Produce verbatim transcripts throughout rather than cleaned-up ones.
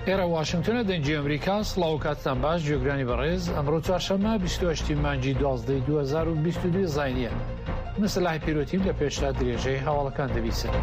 ئێرە واشنگتنە، دەنگی ئەمریکا. سڵاو کاتتان باش گوێگرانی بەڕێز. ئەمڕۆ چوارشەممە بیست و هەشت مانگی دوازدە دوو هەزار و بیست و دوو زاینیە. من سەلاحی پیرۆتیم لە پێشتا درێژەی هەواڵەکان دەبیسن.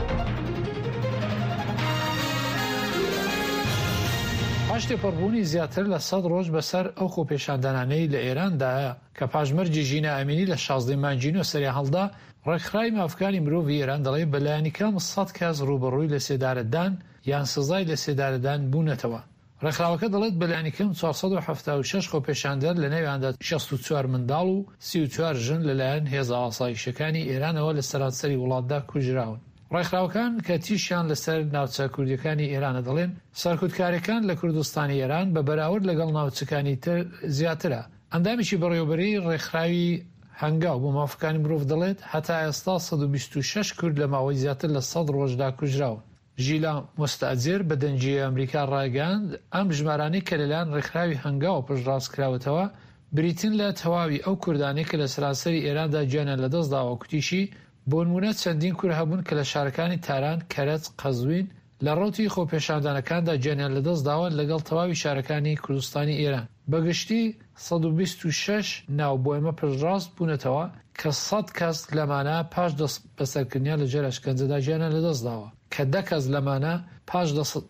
پاش تێپەڕبوونی زیاتر لە سەد ڕۆژ بەسەر ئەو خۆپێشاندانانەی لە ئێراندایە کە پاش مەرگی ژینا ئەمینی لە شازدەی مانگی نۆ سەریان هەڵدا، ڕێکخراوی مافەکانی مرۆڤی ئێران دەڵێ بەلایەنی کەم سەد کەس ڕووبەڕووی لەسێدارەدان یان سزای لەسێدارەدان بوونەتەوە. ڕێکخراوەکە دەڵێت بەلایەنی کەم چوار سەد و حەفتا و شەش خۆپێشاندەر لەنێویاندا شەست و چوار منداڵ و سی و چوار ژن لەلایەن هێزە ئاسایشەکانی ئێرانەوە لە سەرانسەری وڵاتدا کوژراون. ڕێکخراوەکان کە تیشیان لەسەر ناوچە کوردیەکانی ئێرانە دەڵێن سەرکوتکاریەکان لە کوردستانی ئێران بە بەراورد لەگەڵ ناوچەکانی تر زیاترە. ئەندامێکی بەڕێوەبەری ڕێکخراوی هەنگاو بۆ مافەکانی مرۆڤ دەڵێت هەتا ئێستا سەد و بیست و شەش کورد لە ماوەی زیاتر لە سەد ڕۆژدا کوژراون. ژیلا مستەجر بە دەنگی ئەمریکا ڕایگەیاند ئەم ژمارانەی کە لەلایەن ڕێکخراوی هەنگاو پشتڕاست کراوەتەوە بریتین لە تەواوی ئەو کوردانەی کە لە سەرانسەری ئێراندا گیانیان لەدەستداوە. کوتیشی بۆ نمونە چەندین کورد هەبوون کە لە شارەکانی تاران، کەرەج، قەزوین لە ڕەوتی خۆپێشاندانەکاندا گیانیان لەدەستداوە لەگەڵ تەواوی شارەکانی کوردستانی ئێران. بەگشتی سەد و بیست و شەش ناو بۆ ئێمە پشتڕاست بوونەتەوە کە سەد کەس لەمانە پاش دەست بەسەرکردنیان لەژێر ئەشکەنجەدا گیانیان لەدەستداوە، کە دە کەس لەمانە پاش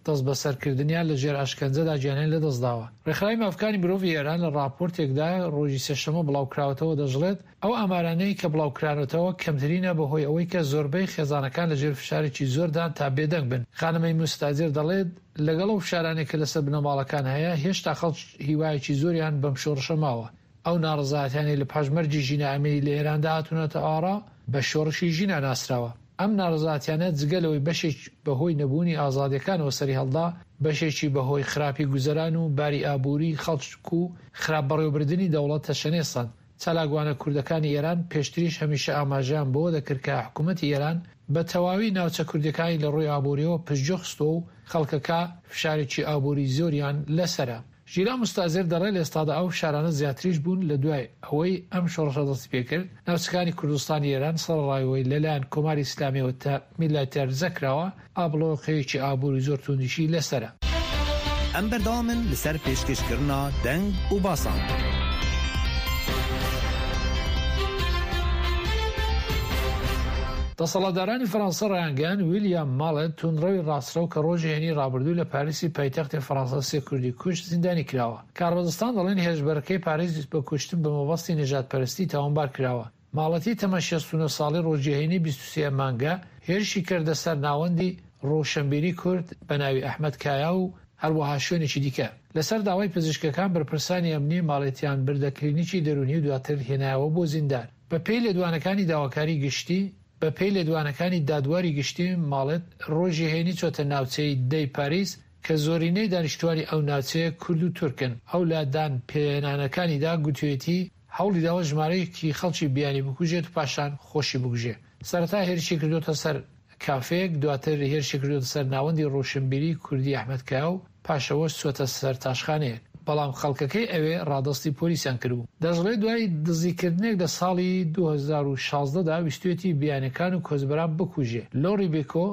دەست بەسەرکردنیان لەژێر ئەشکەنجەدا گیانیان لەدەستداوە. ڕێکخراوی مافەکانی مرۆڤی ئێران لە ڕاپۆرتێکدا ڕۆژی سێشەممە بڵاوکراوەتەوە دەشڵێت ئەو ئامارانەی کە بڵاوکرانەتەوە کەمترینە بەهۆی ئەوەی کە زۆربەی خێزانەکان لەژێر فشارێکی زۆردان تا بێدەنگ بن. خانمەی مستاجر دەڵێت لەگەڵ ئەو فشارانەی کە لەسەر بنەماڵەکان هەیە هێشتا خەڵک هیوایەکی زۆریان بەم شۆڕشە ماوە. ئەو ناڕەزایەتیانەی لە پاش مەرگی ژینا ئەمینی لە ئێراندا هاتوونەتە ئارا بە شۆڕشی ژینا ناسراوە. ئەم ناڕەزایەتیانە جگە لەوەی بەشێک بەهۆی نەبوونی ئازادیەکانەوە سەری هەڵدا، بەشێکی بەهۆی خراپی گوزەران و باری ئابووری خەڵک و خراپ بەڕێوەبردنی دەوڵەت تەشەنێسەند. چالاکوانە کوردەکانی ئێران پێشتریش هەمیشە ئاماژەیان بەوە دەکرد کە حکوومەتی ئێران بە تەواوی ناوچە کوردیەکانی لە ڕووی ئابووریەوە پشتگوێ خستووە و خەڵکەکە فشارێکی ئابووری زۆریان لەسەرە. ژیلا مستازر دەڵێ لە ئێستادا ئەو فشارانە زیاتریش بوون لە دوای ئەوەی ئەم شۆڕشە دەستی پێکرد. ناوچەکانی کوردستانی ئێران سەرەڕایەوەی لەلایەن کۆماری ئیسلامیەوە تا میلاتەرزە کراوە، ئابڵۆقەیەکی ئابووری زۆر توندیشی لەسەرە. ئەم بەردەوامن لەسەر پێشکەشکردنا دەنگ و باسان. دەسەڵاتدارانی فەرەنسا ڕایانگەیاند ویلیام ماڵێت توندڕەوی ڕاستڕەو کە ڕۆژی هەینی ڕابردوو لە پاریسی پایتەختی فەرەنسا سێ کوردی کوشت زیندانی کراوە. کاربەدەستان دەڵێن هێرشبەرەکەی پاریس بە کوشتن بە مەبەستی نەژادپەرستی تاوانبار کراوە. ماڵەتی تەمەن شەست و نۆ ساڵی ڕۆژی هەینی بیست و سێ مانگە هێرشی کردە سەر ناوەندی ڕۆشنبیری کورد بە ناوی ئەحمەد کایا و هەروەها شوێنێکی دیکە. لەسەر داوای پزیشکەکان بەرپرسانی ئەمنی ماڵێتیان بردە کلینیکی دەرونی و دواتر هێنایەوە بۆ زیندان. بە پێی لێدوانەکانی داواکاری گشتی بە پێی لێدوانەکانی دادواری گشتی ماڵێت ڕۆژی هەینی چۆتە ناوچەی دەی پاریس کە زۆرینەی دانیشتوانی ئەو ناوچەیە کورد و تورکن. ئەو لادان پێنانەکانیدا گوتوێتی هەوڵی داوە ژمارەیەکی خەڵکی بیانی بکوژێت و پاشان خۆشی بکوژێ. سەرەتا هێرشی کردوتە سەر کافەیەک، دواتر هێرشی کردوتە سەر ناوەندی ڕۆشنبیری کوردی ئەحمەد کایا و پاشەوە چۆتە سەر تاشخانەیەک، بەڵام خەڵکەکەی ئەوێ ڕادەستی پۆلیسیان کردبوو. دەشڵێ دوای دزیکردنێک لە ساڵی دوو هەزار و شازدە دا ویستوێتی بیانەکان و کۆچبەران بکوژێ. لۆری بێکۆ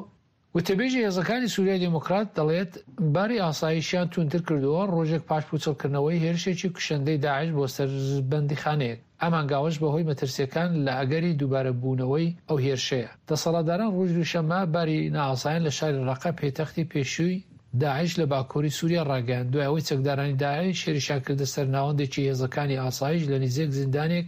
وتەبێژی هێزەکانی سووریای دیموکرات دەڵێت باری ئاسایشیان توندتر کردووە ڕۆژێک پاش پوچەڵکردنەوەی هێرشێکی کوشندەی داعش بۆ سەر بەندیخانەیەک. ئەم هەنگاوەش بەهۆی مەترسیەکان لە ئەگەری دووبارە بوونەوەی ئەو هێرشەیە. دەسەڵاتداران ڕۆژ دووشەممە باری نائاسایان لە شاری ڕەقە پێتەختی پێشووی داعش لە باکووری سووریا ڕاگەیاند، دوای ئەوەی چەکدارانی داعش هێرشیان کردە سەر ناوەندێکی هێزەکانی ئاسایش لە نزیک زیندانێک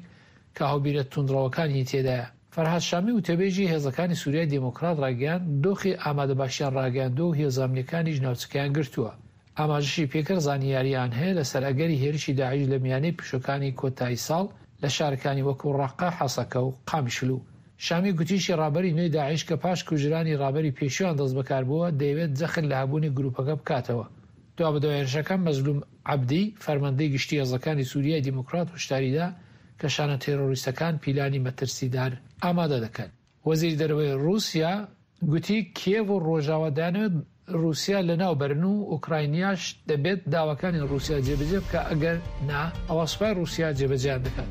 کە هاوبیرە توندڕەوەکانی تێدایە. فەرهاد شامی وتەبێژی هێزەکانی سووریای دیموکرات ڕاگەیاند دۆخی ئامادەباشیان ڕاگەیاندووە و هێزە ئەمنیەکانیش ناوچەکەیان گرتووە. ئاماژەشی پێکرد زانیاریان هەیە لەسەر ئەگەری هێرشی داعش لە میانەی پشوەکانی کۆتایی ساڵ لە شارەکانی وەکو ڕەقە، حەسەکە و قامیشلو. شامی گوتیشی ڕابەری نوێی داعش کە پاش کوژرانی ڕابەری پێشویان دەست بەکار بووە دەیەوێت جەخت لە هەبوونی گروپەکە بکاتەوە. دوابەدوای هێرشەکە مەزلوم عەبدی فەرماندەی گشتی هێزەکانی سووریای دیموکرات هۆشداریدا کە شانە تێرۆریستەکان پیلانی مەترسیدار ئامادە دەکەن. وەزیری دەرەوەی ڕووسیا گوتی کیێڤ و ڕۆژاوا دەیانەوێت ڕووسیا لەناو بەرن و ئۆکراینیاش دەبێت داواکانی ڕووسیا جێبەجێ بکە، ئەگەر نا ئەوە سوپای ڕووسیا جێبەجێیان دەکات.